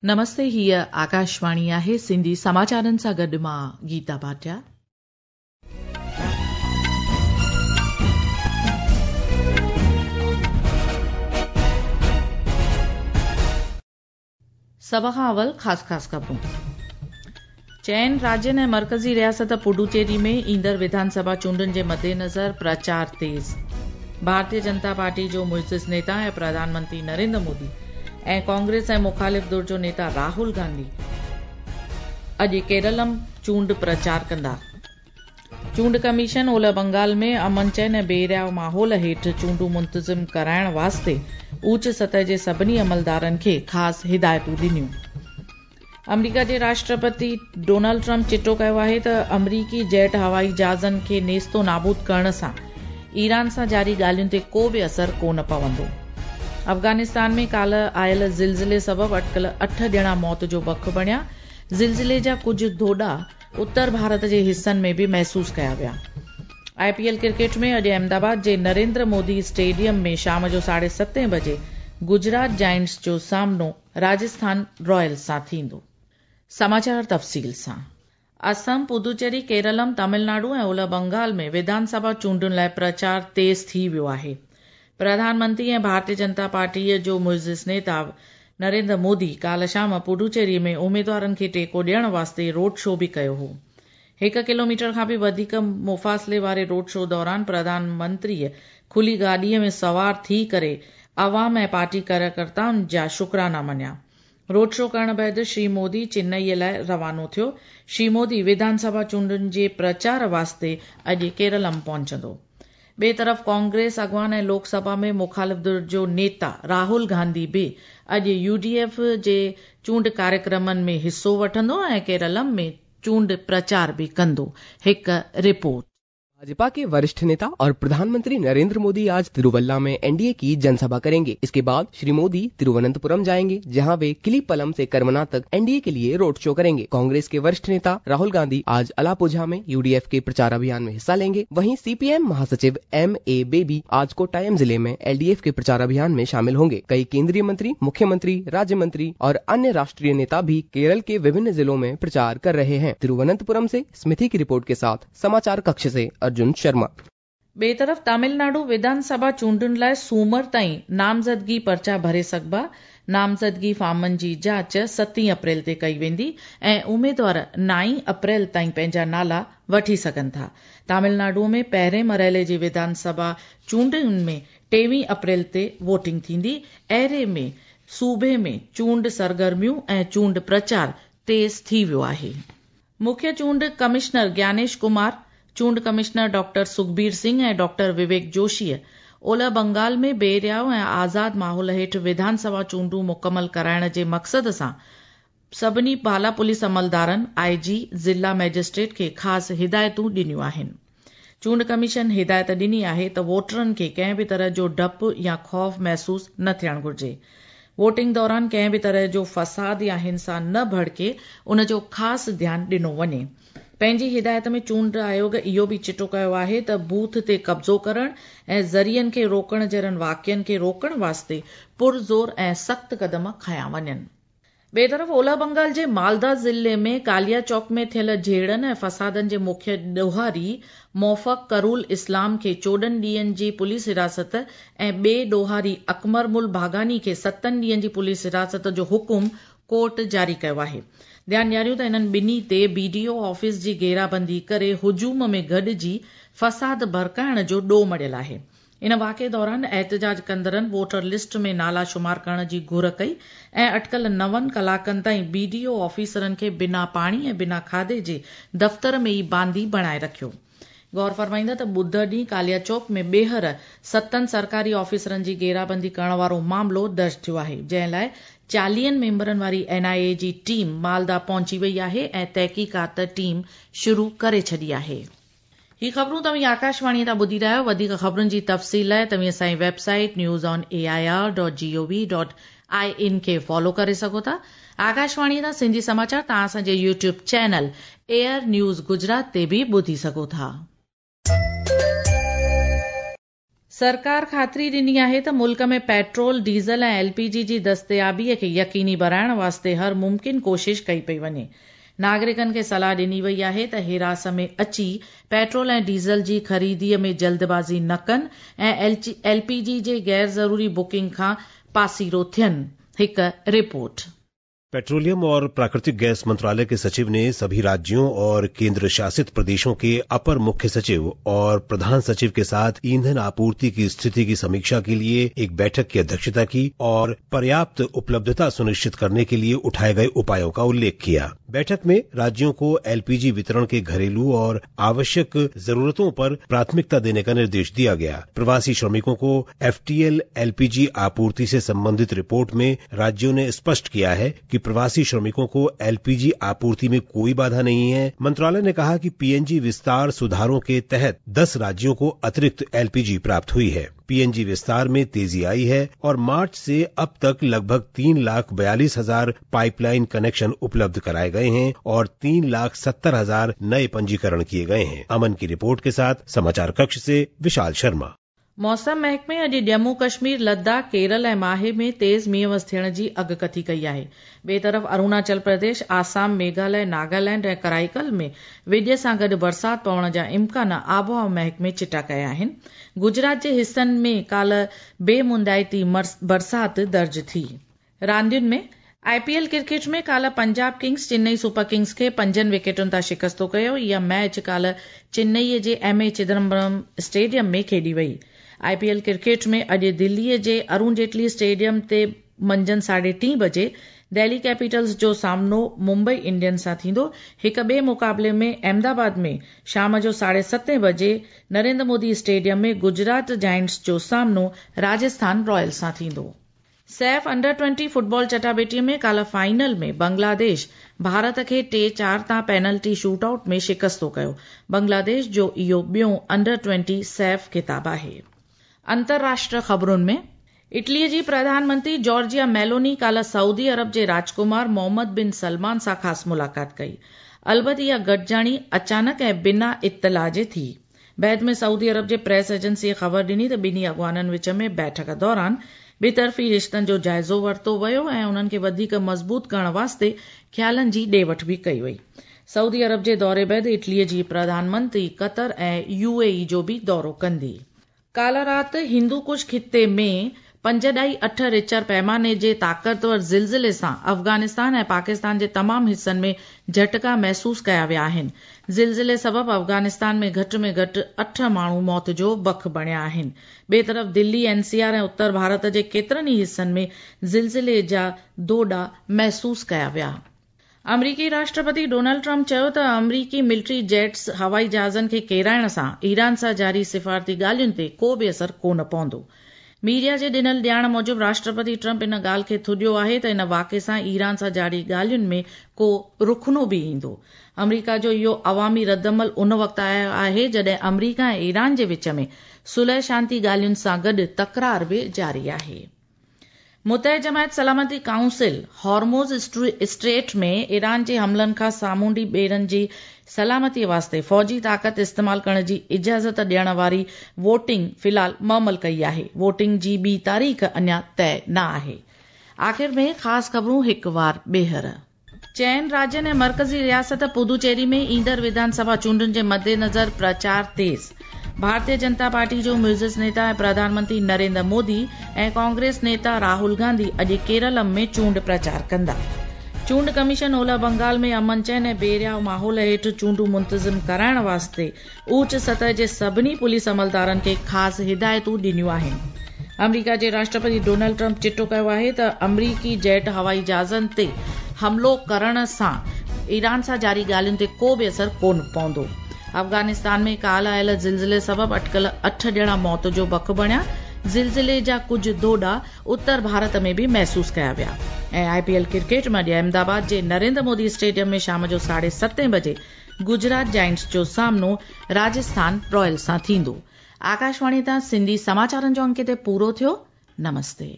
نمستي هيء آڪاشواڻي آهي سنڌي سماچارن سان گڏ مان گيتا ڀاٽيا. سڀ کان اول خاص خاص خبرون. چئن راجين ۽ مرڪزي رياست پڊوچيري ۾ ايندڙ وڌان سڀا چونڊن جي مدنظر پرچار تيز. ڀارتيه جنتا پارٽي جو معزز نيتا ۽ پرڌان منتري نريندر مودي ۽ ڪانگريس ۽ مخالف ڌر جو نيتا راهول گانڌي اڄ ڪيرلم چونڊ پرچار ڪندا. چونڊ ڪميشن اولهه بنگال ۾ امن چين ۽ بي رياء ماحول هيٺ چونڊون منتظم ڪرائڻ واسطي اوچ سطح جي سڀني عملدارن کي خاص هدايتون ڏنيون. آمريڪا جي راشٽرپتي ڊونلڊ ٽرمپ چٽو ڪيو آهي ته آمريڪي جيٽ هوائي جهازن کي نيستو نابود ڪرڻ سان ايران سان جاري ڳالهين تي ڪو به اثر ڪونه پوندو. افغانستان ۾ ڪالهه آيل زلزلي سبب اٽڪل اٺ ڄڻا موت جو بک بڻيا. زلزلي جا ڪجهه ڌوڏا اتر ڀارت جي حصن ۾ به محسوس ڪيا ويا. آء پي ايل ڪرڪيٽ ۾ اڄ احمدآباد جي نريندر مودي اسٽيڊيم ۾ شام جو ساڍي ستين بجي گجرات جائنٽس جو سامنو راجسٿان رائلز سان ٿيندو. سماچار تفصيل سان. اسم، پدوچيري، ڪيرلم، تامل ناڊو ۽ اولهه بنگال ۾ وڌان سڀا چونڊن لاء پرچار تيز ٿي ويو آهي. پرڌان منتري ۽ ڀارتيه جنتا پارٽيء جو معزز نيتا نريندر مودي ڪالهه شام پڊوچيري ۾ اميدوارن کي ٽيڪو ڏيڻ واسطي روڊ شو به ڪيو هو. هڪ ڪلوميٽر کان به وڌيڪ مفاصلي واري روڊ شو دوران پرڌان منتريء کلي گاڏيء ۾ سوار ٿي ڪري عوام ۽ پارٽي ڪاريڪرتائن جا شڪرانا مڃيا. روڊ شو ڪرڻ بعد شري مودي چنئي لاء روانو ٿيو. شري مودي وڌان سڀا چونڊن جي پرچار واسطي اڄ ڪيرلم پهچندو. ٻئي طرف ڪانگريس اڳواڻ ۽ لوڪ سڀا ۾ مخالف ڌر جو نيتا راهول گانڌي به اڄ يو ڊي ايف جي چونڊ ڪاريڪرمن ۾ حصو وٺندو ۽ ڪيرلم ۾ چونڊ پرچار به ڪندو. هڪ رپورٽ. भाजपा के वरिष्ठ नेता और प्रधानमंत्री नरेंद्र मोदी आज तिरुवल्ला में एनडीए की जनसभा करेंगे। इसके बाद श्री मोदी तिरुवनंतपुरम जाएंगे, जहां वे किलीपलम से करमना तक एनडीए के लिए रोड शो करेंगे। कांग्रेस के वरिष्ठ नेता राहुल गांधी आज अलापुझा में यूडीएफ के प्रचार अभियान में हिस्सा लेंगे। वहीं सीपीएम महासचिव एम ए बेबी आज कोट्टायम जिले में एलडीएफ के प्रचार अभियान में शामिल होंगे। कई केंद्रीय मंत्री, मुख्यमंत्री, राज्य मंत्री और अन्य राष्ट्रीय नेता भी केरल के विभिन्न जिलों में प्रचार कर रहे हैं। तिरुवनंतपुरम से स्मिथि की रिपोर्ट के साथ समाचार कक्ष से अर्जुन शर्मा। ॿिए तरफ़ तमिलनाडु विधानसभा चूंडुनि लाइ सूमर ताईं नामज़दगी पर्चा भरे सघिबा। नामज़दगी फॉर्मनि जी जांच ستين अप्रैल ते कई वेंदी ऐं उमेदवार नाईं अप्रैल ताईं पंहिंजा नाला वठी सघनि था। तमिलनाडु में पहिरें मरहले जी विधानसभा चूंडुनि में टेवीह अप्रैल ते वोटिंग थींदी। अहिड़े में सूबे में चूंड सरगर्मियूं ऐं चूंड प्रचार तेज़ थी वियो आहे। मुख्य चूंड कमिश्नर ज्ञानेश कुमार, चूंड कमिश्नर डॉक्टर सुखबीर सिंह ऐं डॉक्टर विवेक जोशीअ ओलह बंगाल में बेरियाव ऐं आज़ाद माहौल हेठि विधानसभा चूंडूं मुकमल कराइण जे मक़सद सां सभिनी बाला पुलिस अमलदारनि, आई जी, ज़िला मैजिस्ट्रेट खे ख़ासि हिदायतूं ॾिनियूं आहिनि। चूंड कमीशन हिदायत ॾिनी आहे त वोटरनि खे कंहिं बि तरह जो डपु या ख़ौफ़ महसूस न थियणु घुरिजे। वोटिंग दौरान कंहिं बि तरह जो फसाद या हिंसा न भड़के उन जो ख़ासि ध्यानु ॾिनो वञे। पंहिंजी हिदायत में चूंड आयोग इहो बि चिटो कयो आहे त बूथ ते कब्ज़ो करण ऐं ज़रियनि खे रोकण जहिड़नि वाक़ियनि खे रोकण वास्ते पुरज़ोर ऐं सख़्त क़दम खयां वञनि। ॿिए तरफ़ ओलह बंगाल जे मालदा ज़िले में कालिया चौक में थियल झेड़नि ऐं फसादनि जे मुख्य ॾोहारी मोफ़क करूल इस्लाम खे 14 ॾींहनि जी पुलिस हिरासत ऐं ॿिए ॾोहारी अकमर मुल भागानी खे 7 ॾींहनि जी पुलिस हिरासत जो हुकुम कोर्ट जारी कयो आहे। ध्यानु ॾियारियूं त इन्हनि ॿिन्ही ते बीडीओ ऑफिस जी घेराबंदी करे हुजूम में गॾिजी फसाद भड़काइण जो ॾोह मढ़ियल आहे। इन वाक़िए दौरान एहतजाज कंदड़नि वोटर लिस्ट में नाला शुमार करण जी घुर कई ऐं अटकल 9 कलाकनि ताईं बीडीओ ऑफिसरनि खे बिना पाणी ऐं बिना खाधे जे दफ़्तर में ई बांदी बणाए रखियो। गौर फरमाईंदा त ॿुधर ॾींहुं कालिया चौक में ॿीहर 7 सरकारी ऑफिसरनि जी घेराबंदी करण वारो मामिलो दर्ज थियो आहे, जंहिं लाइ 40 मेंबरनि वारी एनआईए जी टीम मालदा पहुची वई आहे ऐं तहक़ीक़ात टीम शुरू करे छॾी आहे। ही ख़बरूं तव्हीं आकाशवाणी तां ॿुधी रहिया आहियो। वधीक ख़बरुनि जी तफ़सील लाइ तव्हीं असांजी website news on A I R dot G O V dot I N खे फॉलो करे सघो था। आकाशवाणी तां सिंधी समाचार तव्हां असांजे YouTube channel AIR news Gujarat ते बि ॿुधी सघो था। सरकार ख़ातिरी ॾिनी आहे त मुल्क में पेट्रोल, डीज़ल ऐं एलपीजी जी दस्तयाबीअ खे यकीनी बणाइण वास्ते हर मुमकिन कोशिश कई पई वञे। नागरिकनि खे सलाह ॾिनी वई आहे त हिरास में अची पेट्रोल ऐं डीज़ल जी ख़रीदीअ में जल्दबाज़ी न कनि ऐं एलपीजी जे ग़ैर ज़रूरी बुकिंग खां पासीरो थियनि। हिकु रिपोर्ट। पेट्रोलियम और प्राकृतिक गैस मंत्रालय के सचिव ने सभी राज्यों और केंद्र शासित प्रदेशों के अपर मुख्य सचिव और प्रधान सचिव के साथ ईंधन आपूर्ति की स्थिति की समीक्षा के लिए एक बैठक की अध्यक्षता की और पर्याप्त उपलब्धता सुनिश्चित करने के लिए उठाए गए उपायों का उल्लेख किया। बैठक में राज्यों को एलपीजी वितरण के घरेलू और आवश्यक जरूरतों पर प्राथमिकता देने का निर्देश दिया गया। प्रवासी श्रमिकों को एफटीएल एलपीजी आपूर्ति से संबंधित रिपोर्ट में राज्यों ने स्पष्ट किया है कि प्रवासी श्रमिकों को एलपीजी आपूर्ति में कोई बाधा नहीं है। मंत्रालय ने कहा कि पीएनजी विस्तार सुधारों के तहत 10 राज्यों को अतिरिक्त एलपीजी प्राप्त हुई है। पीएनजी विस्तार में तेजी आई है और मार्च से अब तक लगभग 3,42,000 पाइपलाइन कनेक्शन उपलब्ध कराए गए हैं और 3,70,000 नए पंजीकरण किए गए हैं। अमन की रिपोर्ट के साथ समाचार कक्ष से विशाल शर्मा। मौसम महकमे अॼु जम्मू कश्मीर, लद्दाख, केरल ऐं माहे में तेज़ मींहुं थियण जी अॻकथी कई आहे। ॿिए तरफ़ अरुणाचल प्रदेश, आसाम, मेघालय, नागालैंड ऐं कराईकल में विॼ सां गॾु बरसाति पवण जा इम्कान आबहावा महकमे चिटा कया आहिनि। गुजरात जे हिसनि में काल्ह बेमुंदाइती बरसाति दर्ज थी। रांदियुनि में आईपीएल क्रिकेट में काल्ह Punjab Kings Chennai Super Kings खे 5 विकेटुनि तां शिकस्तो कयो। इहा मैच काल्ह चेन्नईअ जे एम.ए. चिदम्बरम स्टेडियम में खेॾी वई। आईपीएल क्रिकेट में अॼु दिल्लीअ जे अरुण जेटली स्टेडियम ते मंझंदि 3:30 बजे दिल्ली कैपिटल्स जो सामनो मुंबई इंडियंस सां थींदो। हिक ॿिए मुक़ाबले में अहमदाबाद में शाम जो 7:30 बजे नरेंद्र मोदी स्टेडियम में गुजरात जायंट्स जो सामनो राजस्थान रॉयल्स सां थींदो। सैफ अंडर-20 फुटबॉल चटाबेटीअ में काल्ह फाइनल में बांग्लादेश भारत खे 3-4 तां पेनल्टी शूटआउट में शिकस्तो कयो। बांग्लादेश जो इहो ॿियो अंडर-20 सैफ खिताब आहे। अंतर्राष्ट्रीय ख़बरुनि में इटलीअ जी प्रधानमंत्री जॉर्जिया मेलोनी काल्ह सऊदी अरब जे राजकुमार मोहम्मद बिन सलमान सां ख़ासि मुलाक़ात कई। अलबत इहा गॾिजाणी अचानक ऐं बिना इतला जे थी। बैद में सऊदी अरब जे प्रेस एजेंसीअ ख़बर ॾिनी त ॿिन्ही अॻवाननि विच में बैठक दौरान ॿितरफ़ी रिश्तनि जो जाइज़ो वरितो वियो ऐं उन्हनि खे वधीक मज़बूत करण वास्ते ख़्यालनि जी ॾे वठि बि कई वई। सऊदी अरब जे दौरे बाद इटलीअ जी प्रधानमंत्री क़तर ऐं यूएई जो बि दौरो कंदी। काल्ह राति हिंदूकुश ख़िते में 5.8 रिचर पैमाने जे ताक़तवर ज़िलज़िले सां अफ़ग़ानिस्तान ऐं पाकिस्तान जे तमामु हिसनि में झटका महसूस कया विया आहिनि। ज़िलज़िले सबबु अफ़ग़ानिस्तान में घटि में घटि 8 माण्हू मौत जो बख बणिया आहिनि। ॿिए तरफ़ दिल्ली, एनसीआर ऐं उत्तर भारत जे केतिरनि ई हिसनि में ज़िलज़िले जा दोॾा महसूस कया विया। अमरीकी राष्ट्रपति डोनाल्ड ट्रंप चयो त अमरीकी मिलिट्री जेट्स हवाई जहाज़नि खे केराइण सां ईरान सां जारी सिफारती ॻाल्हियुनि ते को बि असर कोन पवंदो। मीडिया जे ॾिनल ॼाण मूजिबि राष्ट्रपति ट्रंप इन ॻाल्हि खे थुॾियो आहे त इन वाक़े सां ईरान सां जारी ॻाल्हियुनि में को रुखनो बि ईंदो। अमरीका जो इहो अवामी रद्दमल उन वक़्तु आयो आहे जॾहिं अमरीका ऐं ईरान जे विच में सुलह शांति ॻाल्हियुनि सां गॾु तकरार बि जारी आहे। मुतह जमायत सलामती काउंसिल हॉर्मोज स्ट्रेट में ईरान जे हमलनि खां सामुंडी ॿेड़नि जी सलामती वास्ते फ़ौजी ताक़त इस्तेमाल करण जी इजाज़त ॾियण वारी वोटिंग फ़िलहाल मुअमल कई आहे। वोटिंग जी ॿी तारीख़ अञा तय न आहे। आख़िर में ख़ासि ख़बरूं हिकु वार ॿीहर। चइनि राज्यनि ऐं मर्कज़ी रियासत पुदुचेरी में ईंदड़ विधानसभा चूंडुनि जे मद्देनज़र प्रचार तेज़। भारतीय जनता पार्टी जो म्यूज़िस नेता ऐं प्रधानमंत्री नरेंद्र मोदी ऐं कांग्रेस नेता राहुल गांधी अॼु केरलम में चूंड प्रचार कंदा। चूंड कमीशन ओलह बंगाल में अमन चैन ऐं बेरिया माहौल हेठि चूंडूं मुंतज़िम कराइण वास्ते ऊच सतह जे सभिनी पुलिस अमलदारनि खे ख़ासि हिदायतूं ॾिनियूं आहिनि। अमरीका जे राष्ट्रपति डोनाल्ड ट्रंप चिटो कयो आहे त अमरीकी जेट हवाई जहाज़नि ते हमलो करण सां ईरान सां जारी ॻाल्हियुनि ते को बि असर कोन पवंदो। अफ़ग़ानिस्तान में काल्ह आयल ज़िलज़िले सबबु अटकल 8 ॼणा मौत जो बख बणिया। ज़िलज़िले जा कुझु दोॾा उत्तर भारत में बि महसूस कया विया। ऐं आईपीएल क्रिकेट में अॼु अहमदाबाद जे नरेंद्र मोदी स्टेडियम में शाम जो 7:30 बजे गुजरात जायंट्स जो सामनो राजस्थान रॉयल्स सां थींदो। आकाशवाणी तां सिंधी समाचारनि जो अंक हिते पूरो थियो। नमस्ते।